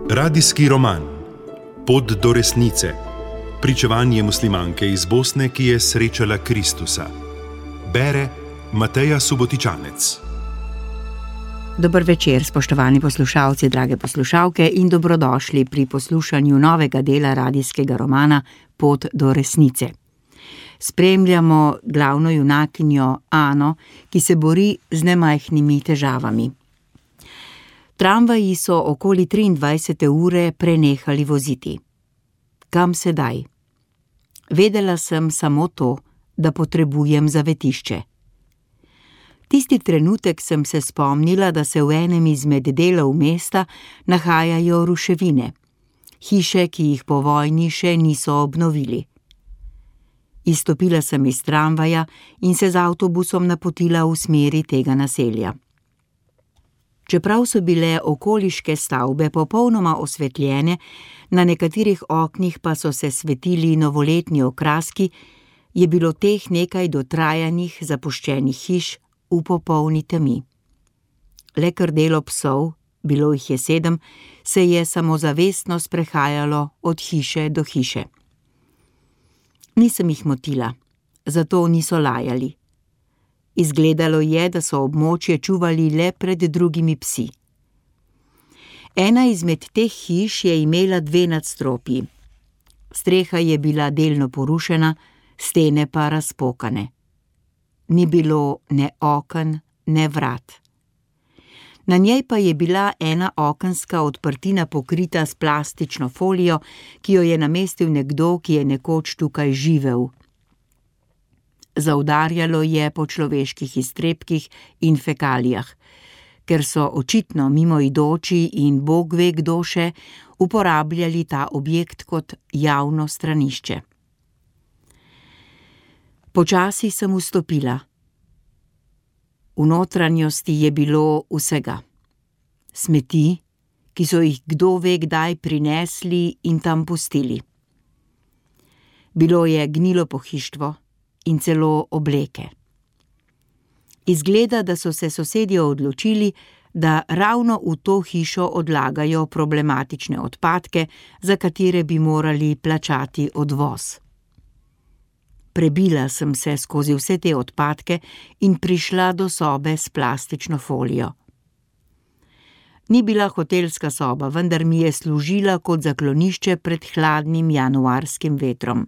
Radijski roman Pot do resnice. Pričevanje muslimanke iz Bosne, ki je srečala Kristusa. Bere Mateja Subotičanec. Dober večer, spoštovani poslušalci, drage poslušalke, in dobrodošli pri poslušanju novega dela radijskega romana Pot do resnice. Spremljamo glavno junakinjo Ano, ki se bori z nemajhnimi težavami. Tramvaji so okoli 23. ure prenehali voziti. Kam sedaj? Vedela sem samo to, da potrebujem zavetišče. Tisti trenutek sem se spomnila, da se v enem izmed delov mesta nahajajo ruševine, hiše, ki jih po vojni še niso obnovili. Izstopila sem iz tramvaja in se z avtobusom napotila v smeri tega naselja. Čeprav so bile okoliške stavbe popolnoma osvetljene, na nekaterih oknih pa so se svetili novoletni okraski, je bilo teh nekaj dotrajanih, zapuščenih hiš v popolni temi. Le krdelo psov, bilo jih je 7, se je samozavestno sprehajalo od hiše do hiše. Nisem jih motila, zato niso lajali. Izgledalo je, da so območje čuvali le pred drugimi psi. Ena izmed teh hiš je imela 2 nadstropji. Streha je bila delno porušena, stene pa razpokane. Ni bilo ne oken, ne vrat. Na njej pa je bila ena okenska odprtina pokrita s plastično folijo, ki jo je namestil nekdo, ki je nekoč tukaj živel. Zaudarjalo je po človeških iztrebkih in fekalijah, ker so očitno mimoidoči in Bog ve kdo še uporabljali ta objekt kot javno stranišče. Počasi sem vstopila. V notranjosti je bilo vsega. Smeti, ki so jih kdo ve kdaj prinesli in tam pustili. Bilo je gnilo pohištvo in celo obleke. Izgleda, da so se sosedje odločili, da ravno v to hišo odlagajo problematične odpadke, za katere bi morali plačati odvoz. Prebila sem se skozi vse te odpadke in prišla do sobe s plastično folijo. Ni bila hotelska soba, vendar mi je služila kot zaklonišče pred hladnim januarskim vetrom.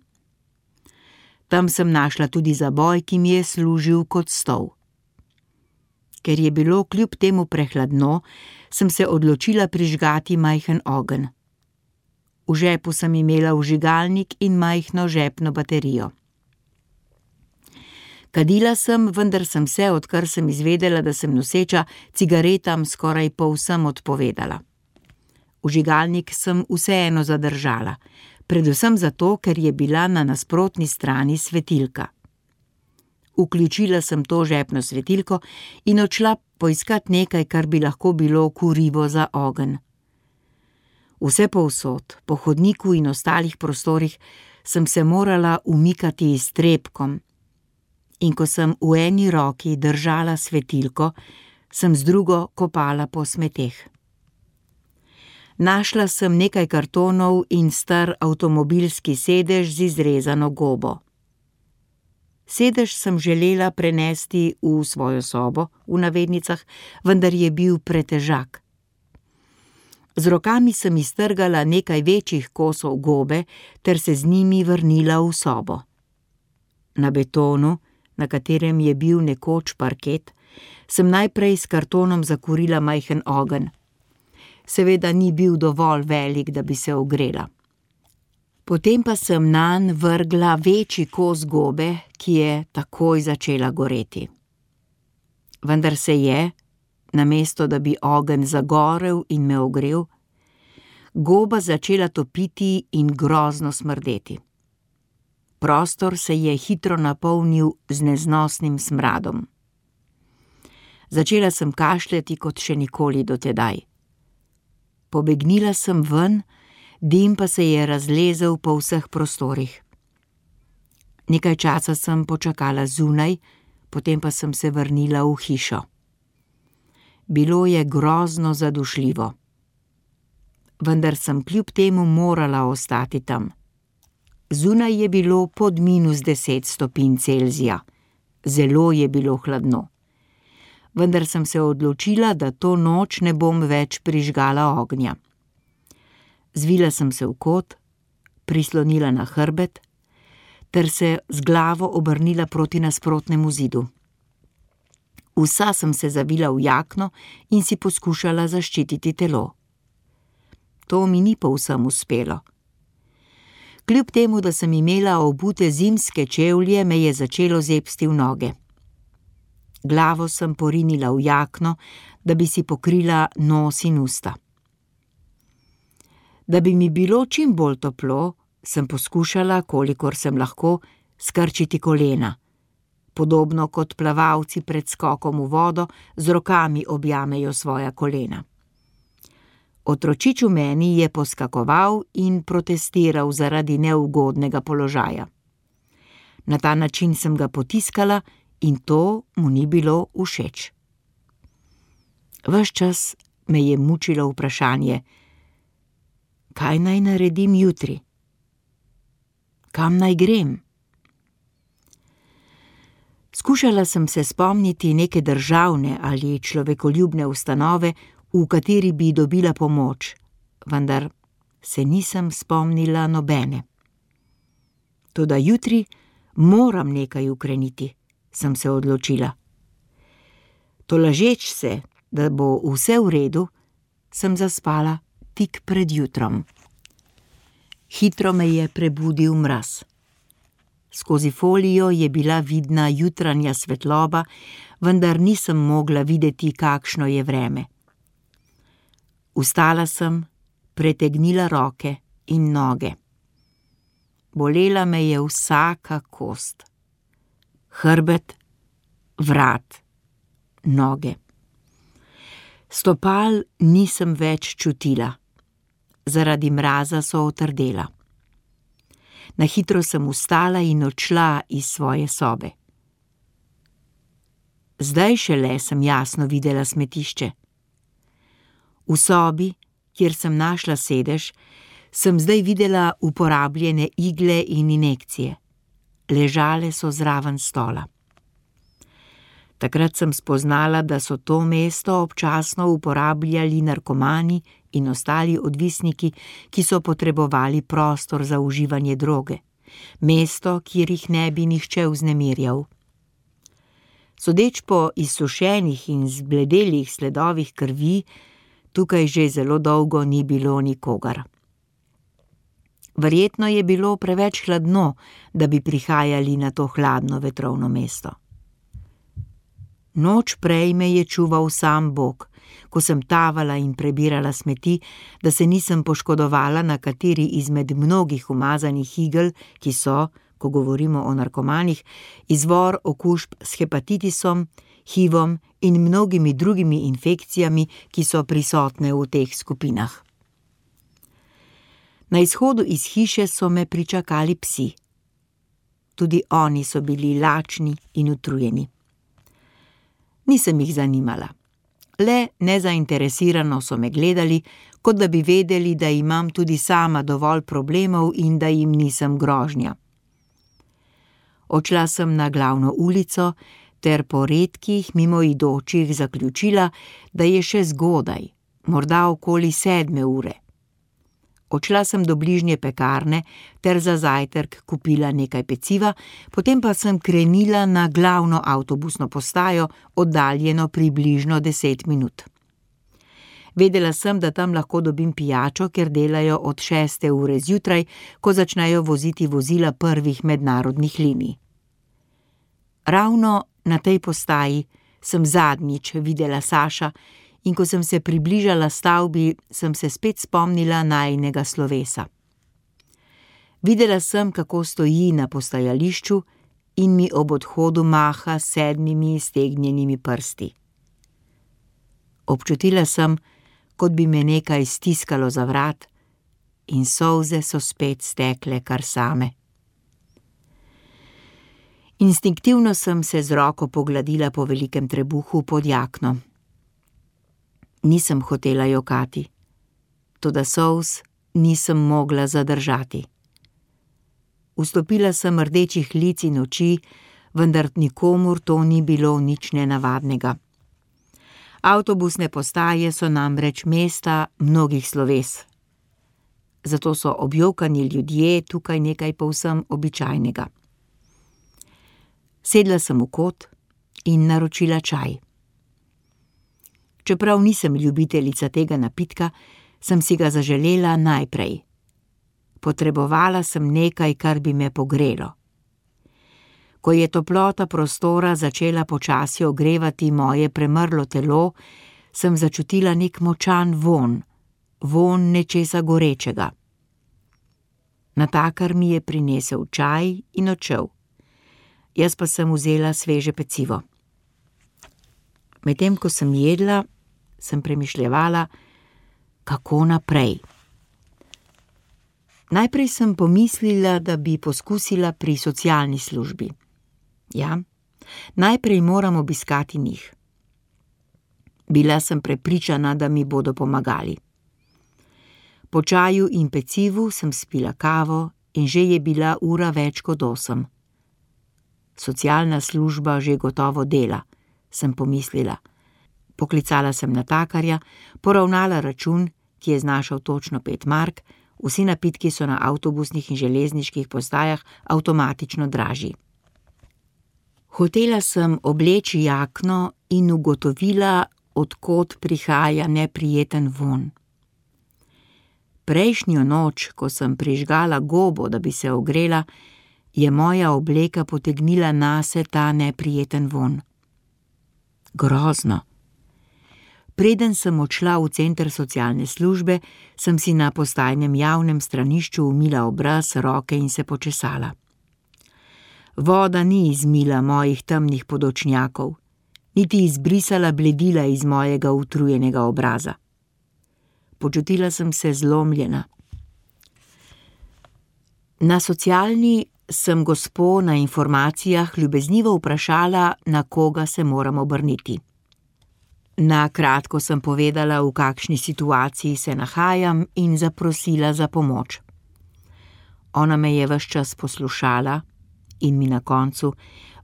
Tam sem našla tudi zaboj, ki mi je služil kot stol. Ker je bilo kljub temu prehladno, sem se odločila prižgati majhen ogenj. V žepu sem imela vžigalnik in majhno žepno baterijo. Kadila sem, vendar sem se, odkar sem izvedela, da sem noseča, cigaretam skoraj povsem odpovedala. Vžigalnik sem vseeno zadržala, predvsem zato, ker je bila na nasprotni strani svetilka. Vključila sem to žepno svetilko in odšla poiskat nekaj, kar bi lahko bilo kurivo za ogenj. Vse povsod, po hodniku in ostalih prostorih, sem se morala umikati iztrebkom, in ko sem v eni roki držala svetilko, sem z drugo kopala po smeteh. Našla sem nekaj kartonov in star avtomobilski sedež z izrezano gobo. Sedež sem želela prenesti v svojo sobo, v navednicah, vendar je bil pretežak. Z rokami sem iztrgala nekaj večjih kosov gobe ter se z njimi vrnila v sobo. Na betonu, na katerem je bil nekoč parket, sem najprej s kartonom zakurila majhen ogenj. Seveda ni bil dovolj velik, da bi se ogrela. Potem pa sem nanj vrgla večji kos gobe, ki je takoj začela goreti. Vendar se je, namesto da bi ogenj zagorel in me ogrel, goba začela topiti in grozno smrdeti. Prostor se je hitro napolnil z neznosnim smradom. Začela sem kašljati kot še nikoli do tedaj. Pobegnila sem ven, dim pa se je razlezel po vseh prostorih. Nekaj časa sem počakala zunaj, potem pa sem se vrnila v hišo. Bilo je grozno zadušljivo. Vendar sem kljub temu morala ostati tam. Zunaj je bilo pod -10 stopinj Celzija. Zelo je bilo hladno. Vendar sem se odločila, da to noč ne bom več prižgala ognja. Zvila sem se v kot, prislonila na hrbet ter se z glavo obrnila proti nasprotnemu zidu. Vsa sem se zavila v jakno in si poskušala zaščititi telo. To mi ni povsem uspelo. Kljub temu, da sem imela obute zimske čevlje, me je začelo zebsti v noge. Glavo sem porinila v jakno, da bi si pokrila nos in usta. Da bi mi bilo čim bolj toplo, sem poskušala, kolikor sem lahko, skrčiti kolena, podobno kot plavalci pred skokom v vodo z rokami objamejo svoja kolena. Otročič v meni je poskakoval in protestiral zaradi neugodnega položaja. Na ta način sem ga potiskala in to mu ni bilo všeč. Ves čas me je mučilo vprašanje, kaj naj naredim jutri? Kam naj grem? Skušala sem se spomniti neke državne ali človekoljubne ustanove, v kateri bi dobila pomoč, vendar se nisem spomnila nobene. Toda jutri moram nekaj ukreniti, sem se odločila. Tolažeč se, da bo vse v redu, sem zaspala tik pred jutrom. Hitro me je prebudil mraz. Skozi folijo je bila vidna jutranja svetloba, vendar nisem mogla videti, kakšno je vreme. Vstala sem, pretegnila roke in noge. Bolela me je vsaka kost. Hrbet, vrat, noge. Stopal nisem več čutila. Zaradi mraza so otrdela. Na hitro sem vstala in odšla iz svoje sobe. Zdaj šele sem jasno videla smetišče. V sobi, kjer sem našla sedež, sem zdaj videla uporabljene igle in injekcije. Ležale so zraven stola. Takrat sem spoznala, da so to mesto občasno uporabljali narkomani in ostali odvisniki, ki so potrebovali prostor za uživanje droge. Mesto, kjer jih ne bi nihče vznemirjal. Sodeč po izsušenih in zbledelih sledovih krvi, tukaj že zelo dolgo ni bilo nikogar. Verjetno je bilo preveč hladno, da bi prihajali na to hladno vetrovno mesto. Noč prej me je čuval sam Bog, ko sem tavala in prebirala smeti, da se nisem poškodovala na kateri izmed mnogih umazanih igel, ki so, ko govorimo o narkomanih, izvor okužb s hepatitisom, HIV-om in mnogimi drugimi infekcijami, ki so prisotne v teh skupinah. Na izhodu iz hiše so me pričakali psi. Tudi oni so bili lačni in utrujeni. Nisem jih zanimala. Le nezainteresirano so me gledali, kot da bi vedeli, da imam tudi sama dovolj problemov in da jim nisem grožnja. Odšla sem na glavno ulico ter po redkih mimoidočih zaključila, da je še zgodaj, morda okoli 7 ure. Odšla sem do bližnje pekarne ter za zajtrk kupila nekaj peciva, potem pa sem krenila na glavno avtobusno postajo, oddaljeno približno 10 minut. Vedela sem, da tam lahko dobim pijačo, ker delajo od 6. ure zjutraj, ko začnejo voziti vozila prvih mednarodnih linij. Ravno na tej postaji sem zadnjič videla Saša in ko sem se približala stavbi, sem se spet spomnila najinega slovesa. Videla sem, kako stoji na postajališču in mi ob odhodu maha s 7 iztegnjenimi prsti. Občutila sem, kot bi me nekaj stiskalo za vrat in solze so spet stekle kar same. Instinktivno sem se z roko pogladila po velikem trebuhu pod jakno. Nisem hotela jokati, toda solz nisem mogla zadržati. Vstopila sem rdečih lic in oči, vendar nikomur to ni bilo nič nenavadnega. Avtobusne postaje so namreč mesta mnogih sloves. Zato so objokani ljudje tukaj nekaj povsem običajnega. Sedla sem v kot in naročila čaj. Čeprav nisem ljubiteljica tega napitka, sem si ga zaželela najprej. Potrebovala sem nekaj, kar bi me pogrelo. Ko je toplota prostora začela počasi ogrevati moje premrlo telo, sem začutila nek močan vonj nečesa gorečega. Natakar mi je prinesel čaj in odšel. Jaz pa sem vzela sveže pecivo. Medtem ko sem jedla, sem premišljevala, kako naprej. Najprej sem pomislila, da bi poskusila pri socialni službi. Ja, najprej moram obiskati njih. Bila sem prepričana, da mi bodo pomagali. Po čaju in pecivu sem spila kavo in že je bila ura več kot 8. Socialna služba že gotovo dela, sem pomislila. Poklicala sem natakarja, poravnala račun, ki je znašal točno 5 mark, vsi napitki so na avtobusnih in železniških postajah avtomatično dražji. Hotela sem obleči jakno in ugotovila, od kod prihaja neprijeten vonj. Prejšnjo noč, ko sem prižgala gobo, da bi se ogrela, je moja obleka potegnila nase ta neprijeten vonj. Grozno. Preden sem odšla v center socialne službe, sem si na postajnem javnem stranišču umila obraz, roke in se počesala. Voda ni izmila mojih temnih podočnjakov, niti izbrisala bledila iz mojega utrujenega obraza. Počutila sem se zlomljena. Na socialni sem gospo na informacijah ljubeznivo vprašala, na koga se moram obrniti. Na kratko sem povedala, v kakšni situaciji se nahajam in zaprosila za pomoč. Ona me je ves čas poslušala in mi na koncu,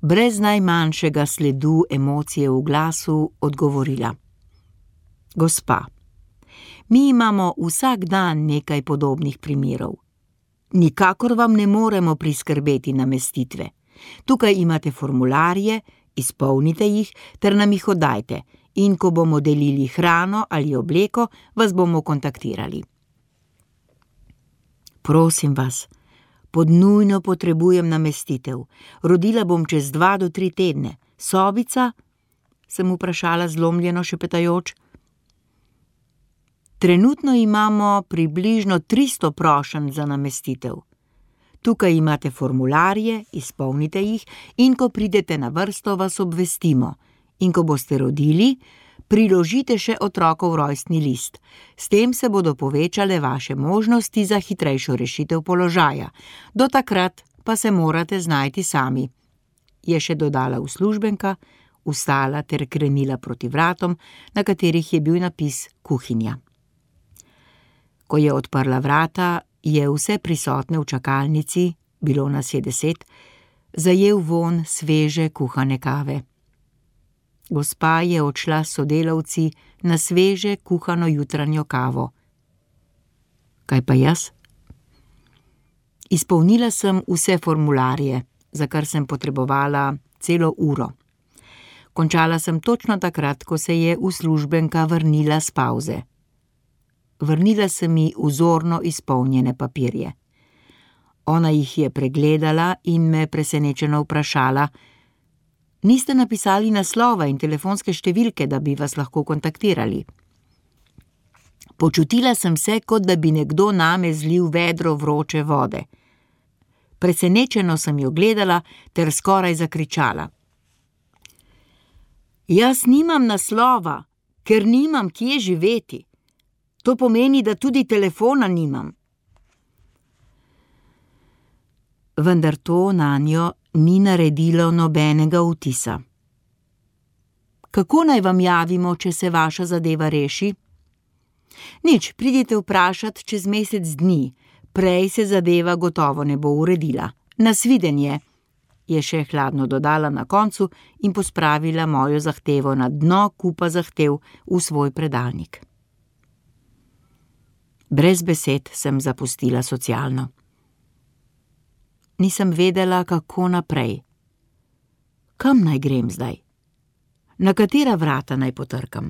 brez najmanjšega sledu emocije v glasu, odgovorila. Gospa, mi imamo vsak dan nekaj podobnih primerov. Nikakor vam ne moremo priskrbeti namestitve. Tukaj imate formularje, izpolnite jih ter nam jih oddajte in ko bomo delili hrano ali obleko, vas bomo kontaktirali. Prosim vas, nujno potrebujem namestitev. Rodila bom čez 2 do 3 tedne. Sobica? Sem vprašala zlomljeno šepetajoč. Trenutno imamo približno 300 prošenj za namestitev. Tukaj imate formularje, izpolnite jih in ko pridete na vrsto, vas obvestimo. In ko boste rodili, priložite še otrokov rojstni list. S tem se bodo povečale vaše možnosti za hitrejšo rešitev položaja. Do takrat pa se morate znajti sami. Je še dodala uslužbenka, vstala ter krenila proti vratom, na katerih je bil napis kuhinja. Ko je odprla vrata, je vse prisotne v čakalnici, bilo nas je 10, zajel vonj sveže kuhane kave. Gospa je odšla s sodelavci na sveže kuhano jutranjo kavo. Kaj pa jaz? Izpolnila sem vse formularje, za kar sem potrebovala celo uro. Končala sem točno takrat, ko se je uslužbenka vrnila s pavze. Vrnila sem mi vzorno izpolnjene papirje. Ona jih je pregledala in me presenečeno vprašala, niste napisali naslova in telefonske številke, da bi vas lahko kontaktirali. Počutila sem se, kot da bi nekdo name zlil vedro vroče vode. Presenečeno sem jo gledala ter skoraj zakričala. Jaz nimam naslova, ker nimam kje živeti. To pomeni, da tudi telefona nimam. Vendar to nanjo ni naredilo nobenega vtisa. Kako naj vam javimo, če se vaša zadeva reši? Nič, pridite vprašat čez mesec dni, prej se zadeva gotovo ne bo uredila. Nasvidenje, je še hladno dodala na koncu in pospravila mojo zahtevo na dno kupa zahtev v svoj predalnik. Brez besed sem zapustila socialno. Nisem vedela, kako naprej. Kam naj grem zdaj? Na katera vrata naj potrkam?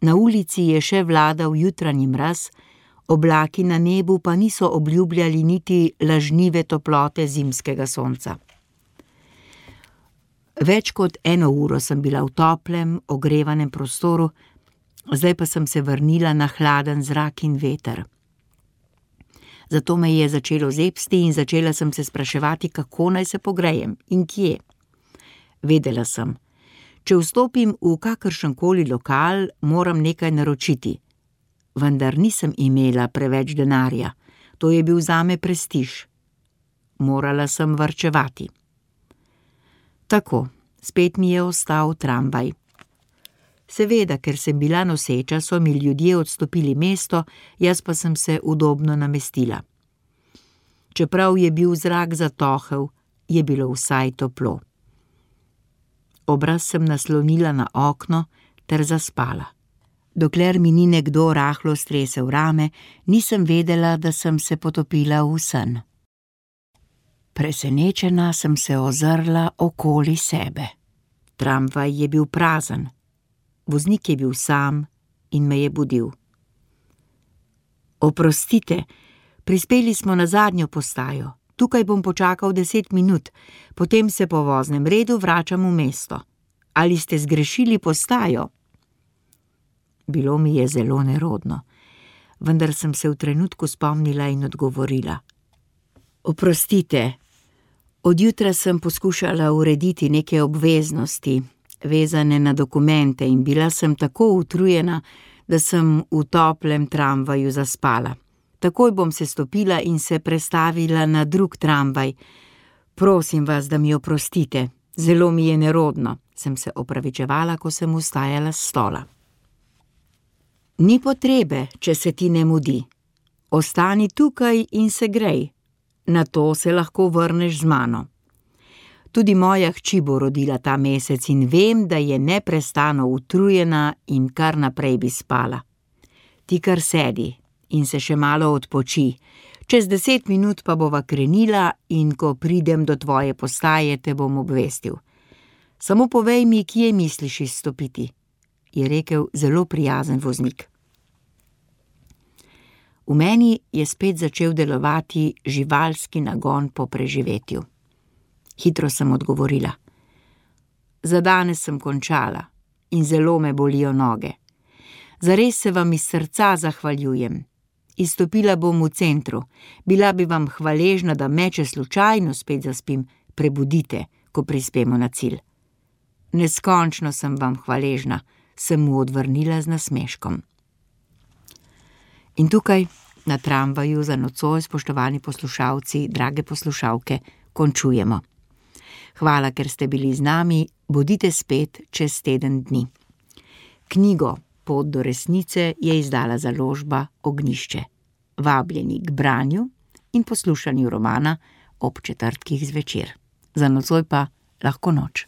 Na ulici je še vladal jutranji mraz, oblaki na nebu pa niso obljubljali niti lažnive toplote zimskega sonca. Več kot 1 uro sem bila v toplem, ogrevanem prostoru, zdaj pa sem se vrnila na hladen zrak in veter. Zato me je začelo zebsti in začela sem se spraševati, kako naj se pogrejem in kje. Vedela sem, če vstopim v kakršenkoli lokal, moram nekaj naročiti. Vendar nisem imela preveč denarja, to je bil zame prestiž. Morala sem varčevati. Tako, spet mi je ostal tramvaj. Seveda, ker sem bila noseča, so mi ljudje odstopili mesto, jaz pa sem se udobno namestila. Čeprav je bil zrak zatohel, je bilo vsaj toplo. Obraz sem naslonila na okno ter zaspala. Dokler mi ni nekdo rahlo stresel rame, nisem vedela, da sem se potopila v sen. Presenečena sem se ozrla okoli sebe. Tramvaj je bil prazen. Voznik je bil sam in me je budil. Oprostite, prispeli smo na zadnjo postajo. Tukaj bom počakal 10 minut, potem se po voznem redu vračam v mesto. Ali ste zgrešili postajo? Bilo mi je zelo nerodno, vendar sem se v trenutku spomnila in odgovorila. Oprostite, od jutra sem poskušala urediti neke obveznosti, vezane na dokumente in bila sem tako utrujena, da sem v toplem tramvaju zaspala. Takoj bom se stopila in se prestavila na drug tramvaj. Prosim vas, da mi oprostite, zelo mi je nerodno, sem se opravičevala, ko sem vstajala s stola. Ni potrebe, če se ti ne mudi. Ostani tukaj in se grej. Nato se lahko vrneš z mano. Tudi moja hči bo rodila ta mesec in vem, da je neprestano utrujena in kar naprej bi spala. Ti kar sedi in se še malo odpoči. Čez 10 minut pa bova krenila in ko pridem do tvoje postaje, te bom obvestil. Samo povej mi, kje misliš izstopiti, je rekel zelo prijazen voznik. V meni je spet začel delovati živalski nagon po preživetju. Hitro sem odgovorila. Za danes sem končala in zelo me bolijo noge. Zares se vam iz srca zahvaljujem. Izstopila bom v centru. Bila bi vam hvaležna, da me, če slučajno spet zaspim, prebudite, ko prispemo na cilj. Neskončno sem vam hvaležna, sem mu odvrnila z nasmeškom. In tukaj, na tramvaju za nocoj, spoštovani poslušalci, drage poslušalke, končujemo. Hvala, ker ste bili z nami, bodite spet čez teden dni. Knjigo Pot do resnice je izdala založba Ognjišče. Vabljeni k branju in poslušanju romana ob četrtkih zvečer. Za nocoj pa lahko noč.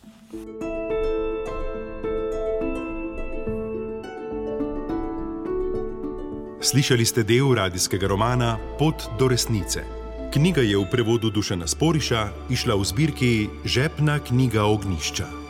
Slišali ste del radijskega romana Pot do resnice. Knjiga je v prevodu Dušana Sporiša izšla v zbirki Žepna knjiga Ognjišča.